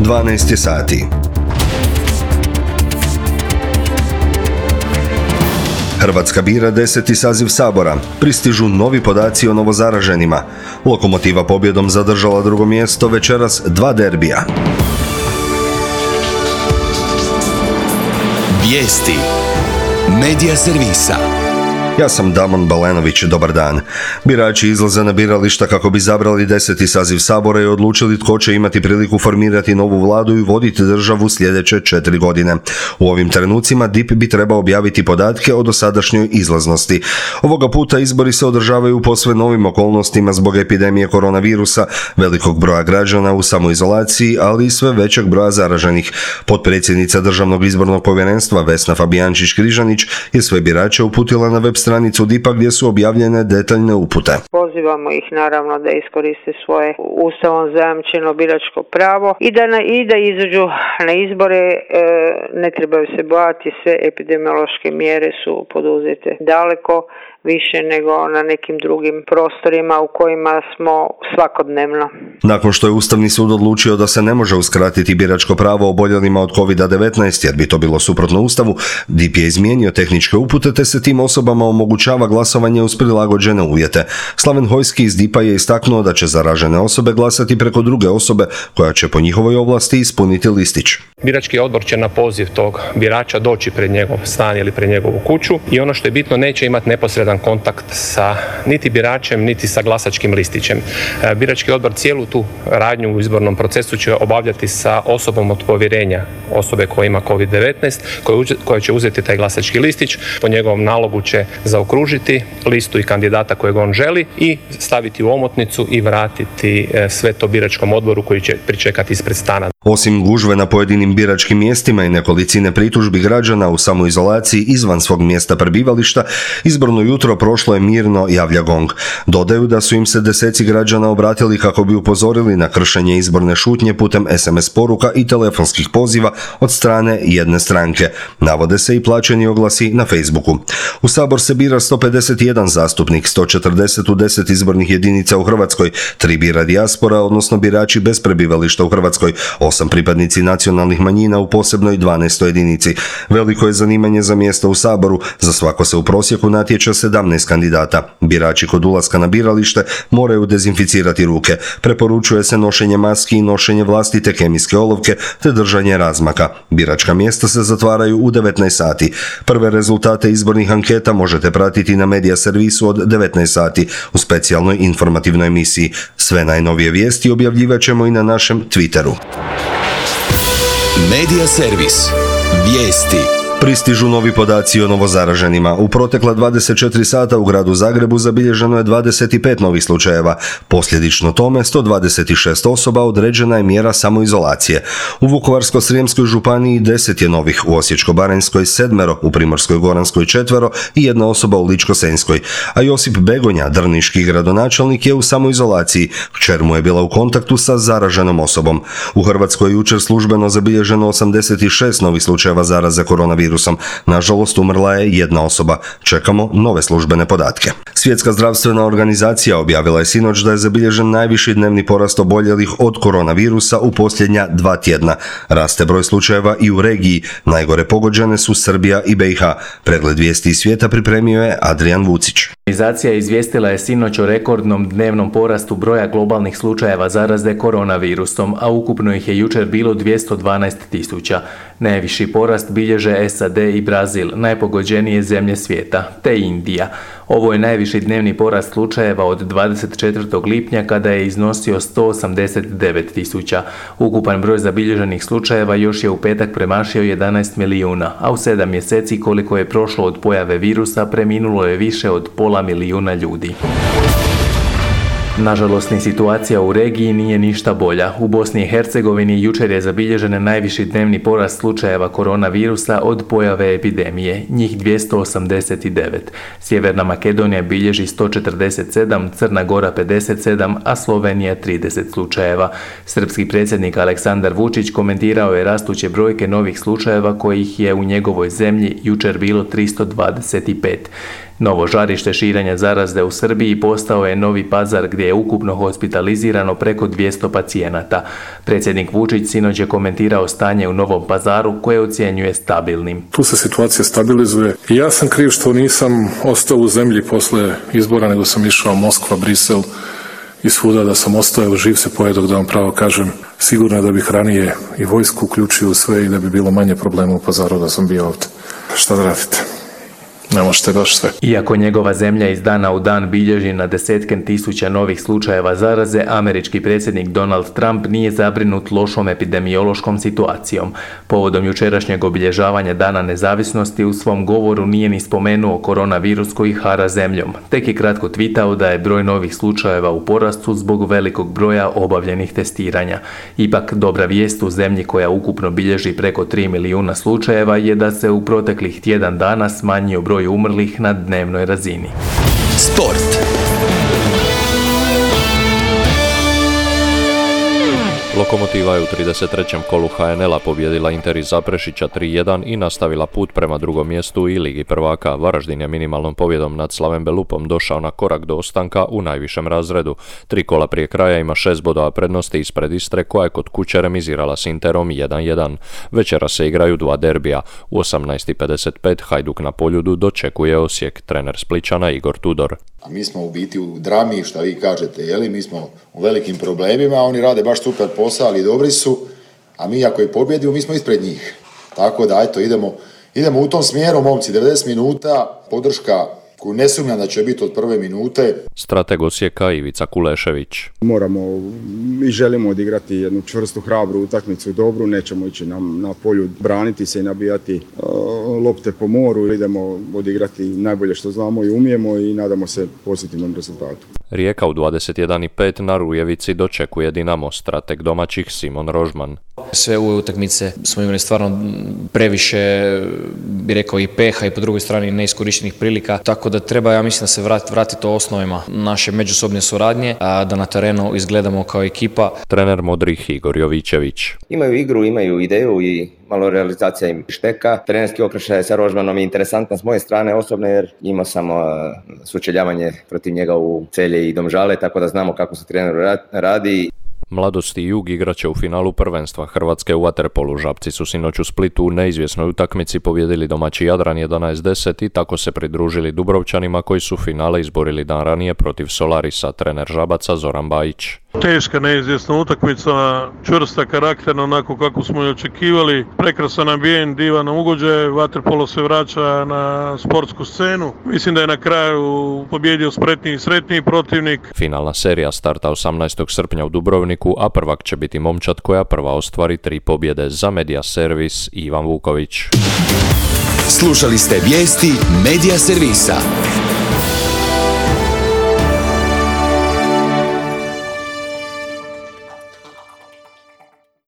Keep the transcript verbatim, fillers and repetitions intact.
dvanaest je sati. Hrvatska bira deseti saziv Sabora. Pristižu novi podaci o novozaraženima. Lokomotiva pobjedom zadržala drugo mjesto, večeras dva derbija. Vijesti Medija servisa. Ja sam Damon Balenović, dobar dan. Birači izlaze na birališta kako bi izabrali deseti saziv Sabora i odlučili tko će imati priliku formirati novu vladu i voditi državu sljedeće četiri godine. U ovim trenucima D I P bi trebao objaviti podatke o dosadašnjoj izlaznosti. Ovoga puta izbori se održavaju u posve novim okolnostima zbog epidemije koronavirusa, velikog broja građana u samoizolaciji, ali i sve većeg broja zaraženih. Potpredsjednica Državnog izbornog povjerenstva Vesna Fabijančić-Križanić je sve birače uputila na web stranicu D I P-a gdje su objavljene detaljne upute. Pozivamo ih naravno da iskoriste svoje ustavom zajamčeno biračko pravo i da, na, i da izađu na izbore. E, ne trebaju se bojati, sve epidemiološke mjere su poduzete daleko više nego na nekim drugim prostorima u kojima smo svakodnevno. Nakon što je Ustavni sud odlučio da se ne može uskratiti biračko pravo oboljelima od kovid devetnaest jer bi to bilo suprotno Ustavu, D I P je izmijenio tehničke upute te se tim osobama omogućava glasovanje uz prilagođene uvjete. Slaven Hojski iz D I P-a je istaknuo da će zaražene osobe glasati preko druge osobe koja će po njihovoj ovlasti ispuniti listić. Birački odbor će na poziv tog birača doći pred njegov stan ili pred njegovu kuću i ono što je bitno, neće imati neposredan kontakt sa niti biračem niti sa glasačkim listićem. Birački odbor cijelu tu radnju u izbornom procesu će obavljati sa osobom od povjerenja osobe koja ima kovid devetnaest, koja će uzeti taj glasački listić, po njegovom nalogu će zaokružiti listu i kandidata kojeg on želi i staviti u omotnicu i vratiti sve to biračkom odboru koji će pričekati ispred stana. Osim gužve na pojedinim biračkim mjestima i nekolicine pritužbi građana u samoizolaciji izvan svog mjesta prebivališta, izborno jutro prošlo je mirno, javlja GONG. Dodaju da su im se deseci građana obratili kako bi upozorili na kršenje izborne šutnje putem es em es poruka i telefonskih poziva od strane jedne stranke. Navode se i plaćeni oglasi na Facebooku. U Sabor se bira sto pedeset jedan zastupnik, sto četrdeset u deset izbornih jedinica u Hrvatskoj, tri bira dijaspora, odnosno birači bez prebivališta u Hrvatskoj, osam pripadnici nacionalnih manjina u posebnoj dvanaestoj jedinici. Veliko je zanimanje za mjesto u Saboru, za svako se u prosjeku natječe sedamnaest kandidata. Birači kod ulaska na biralište moraju dezinficirati ruke. Preporučuje se nošenje maski i nošenje vlastite kemijske olovke te držanje razmaka. Biračka mjesta se zatvaraju u devetnaest sati. Prve rezultate izbornih anketa možete pratiti na Medija servisu od devetnaest sati u specijalnoj informativnoj emisiji. Sve najnovije vijesti objavljivat ćemo i na našem Twitteru. Medija servis. Vijesti. Pristižu novi podaci o novozaraženima. U protekla dvadeset četiri sata u gradu Zagrebu zabilježeno je dvadeset pet novih slučajeva. Posljedično tome sto dvadeset šest osoba određena je mjera samoizolacije. U Vukovarsko-srijemskoj županiji deset je novih, u Osječko-baranjskoj sedmero, u Primorskoj-goranskoj četvero i jedna osoba u Ličko-senjskoj. A Josip Begonja, drniški gradonačelnik, je u samoizolaciji. Kćer mu je bila u kontaktu sa zaraženom osobom. U Hrvatskoj je jučer službeno zabilježeno osamdeset šest novih slučajeva zaraze koronavirusom. Nažalost, umrla je jedna osoba. Čekamo nove službene podatke. Svjetska zdravstvena organizacija objavila je sinoć da je zabilježen najviši dnevni porast oboljelih od koronavirusa u posljednja dva tjedna. Raste broj slučajeva i u regiji. Najgore pogođene su Srbija i be i ha. Pregled vijesti iz svijeta pripremio je Adrian Vucić. Organizacija izvijestila je sinoć o rekordnom dnevnom porastu broja globalnih slučajeva zaraze koronavirusom, a ukupno ih je jučer bilo dvjesto dvanaest tisuća. Najviši porast bilježe es a de i Brazil, najpogođenije zemlje svijeta, te Indija. Ovo je najviši dnevni porast slučajeva od dvadeset četvrtog lipnja kada je iznosio sto osamdeset devet tisuća. Ukupan broj zabilježenih slučajeva još je u petak premašio jedanaest milijuna, a u sedam mjeseci koliko je prošlo od pojave virusa preminulo je više od pola milijuna ljudi. Nažalost, ni situacija u regiji nije ništa bolja. U Bosni i Hercegovini jučer je zabilježen najviši dnevni porast slučajeva koronavirusa od pojave epidemije, njih dvjesto osamdeset devet. Sjeverna Makedonija bilježi sto četrdeset sedam, Crna Gora pedeset sedam, a Slovenija trideset slučajeva. Srpski predsjednik Aleksandar Vučić komentirao je rastuće brojke novih slučajeva kojih je u njegovoj zemlji jučer bilo tristo dvadeset pet. Novo žarište širenja zaraze u Srbiji postao je Novi Pazar gdje je ukupno hospitalizirano preko dvjesto pacijenata. Predsjednik Vučić sinoć je komentirao stanje u Novom Pazaru koje ocjenjuje stabilnim. Tu se situacija stabilizuje i ja sam kriv što nisam ostao u zemlji posle izbora, nego sam išao Moskva, Brisel i svuda da sam ostao živ se pojedok, da vam pravo kažem. Sigurno da bih ranije i vojsku uključio u sve i da bi bilo manje problema u Pazaru da sam bio ovdje. Šta da radite? Ne možete baš sve. Iako njegova zemlja iz dana u dan bilježi na desetke tisuća novih slučajeva zaraze, američki predsjednik Donald Trump nije zabrinut lošom epidemiološkom situacijom. Povodom jučerašnjeg obilježavanja Dana nezavisnosti u svom govoru nije ni spomenuo koronavirus koji hara zemljom. Tek je kratko tvitao da je broj novih slučajeva u porastu zbog velikog broja obavljenih testiranja. Ipak dobra vijest u zemlji koja ukupno bilježi preko tri milijuna slučajeva je da se u proteklih tjedan dana smanjio broj umrlih na dnevnoj razini. Sport. Lokomotiva je u trideset trećem kolu ha en el-a pobjedila Inter iz Zaprešića tri jedan i nastavila put prema drugom mjestu i Ligi prvaka. Varaždin je minimalnom pobjedom nad Slaven Belupom došao na korak do ostanka u najvišem razredu. Tri kola prije kraja ima šest bodova prednosti ispred Istre koja je kod kuće remizirala s Interom jedan jedan. Večera se igraju dva derbija. U osamnaest i pedeset pet Hajduk na Poljudu dočekuje Osijek. Trener Splićana Igor Tudor. A mi smo u biti u drami, što vi kažete, jeli? Mi smo u velikim problemima, oni rade baš super posao, ali dobri su, a mi ako je pobjedimo, mi smo ispred njih. Tako da, eto, idemo, idemo u tom smjeru, momci, devedeset minuta, podrška koju ne sumnjam da će biti od prve minute. Strateg Osijeka Ivica Kulešević. Moramo i želimo odigrati jednu čvrstu, hrabru utakmicu, dobru, nećemo ići na, na polju braniti se i nabijati uh, lopte po moru, idemo odigrati najbolje što znamo i umijemo i nadamo se pozitivnom rezultatu. Rijeka u dvadeset jedan i pet na Rujevici dočekuje Dinamo, strateg domaćih Simon Rožman. Sve ove utakmice smo imali stvarno previše, bi rekao, i peha i po drugoj strani neiskorištenih prilika, tako da treba, ja mislim, da se vrati, vrati to osnovima naše međusobne suradnje, a da na terenu izgledamo kao ekipa. Trener modrih Igor Jovićević. Imaju igru, imaju ideju i malo realizacija im šteka. Trenerski okršaj sa Rožmanom je interesantan s moje strane osobno jer imao sam uh, sučeljavanje protiv njega u Celje i Domžale, tako da znamo kako se trener radi. Mladost i Jug igraće u finalu prvenstva Hrvatske u vaterpolu. Žabci su sinoć u Splitu u neizvjesnoj utakmici pobjedili domaći Jadran jedanaest deset i tako se pridružili Dubrovčanima koji su finale izborili dan ranije protiv Solarisa. Trener Žabaca Zoran Bajić. Teška, neizvjesna utakmica, čvrsta, karakterna, onako kako smo i očekivali. Prekrasan ambijent, divan ugođaj, vaterpolo se vraća na sportsku scenu. Mislim da je na kraju pobjedio spretniji i sretniji protivnik. Finalna serija starta osamnaestog srpnja u Dubrovniku, a prvak će biti momčad koja prva ostvari tri pobjede. Za Media Servis Ivan Vuković. Slušali ste vijesti Media Servisa.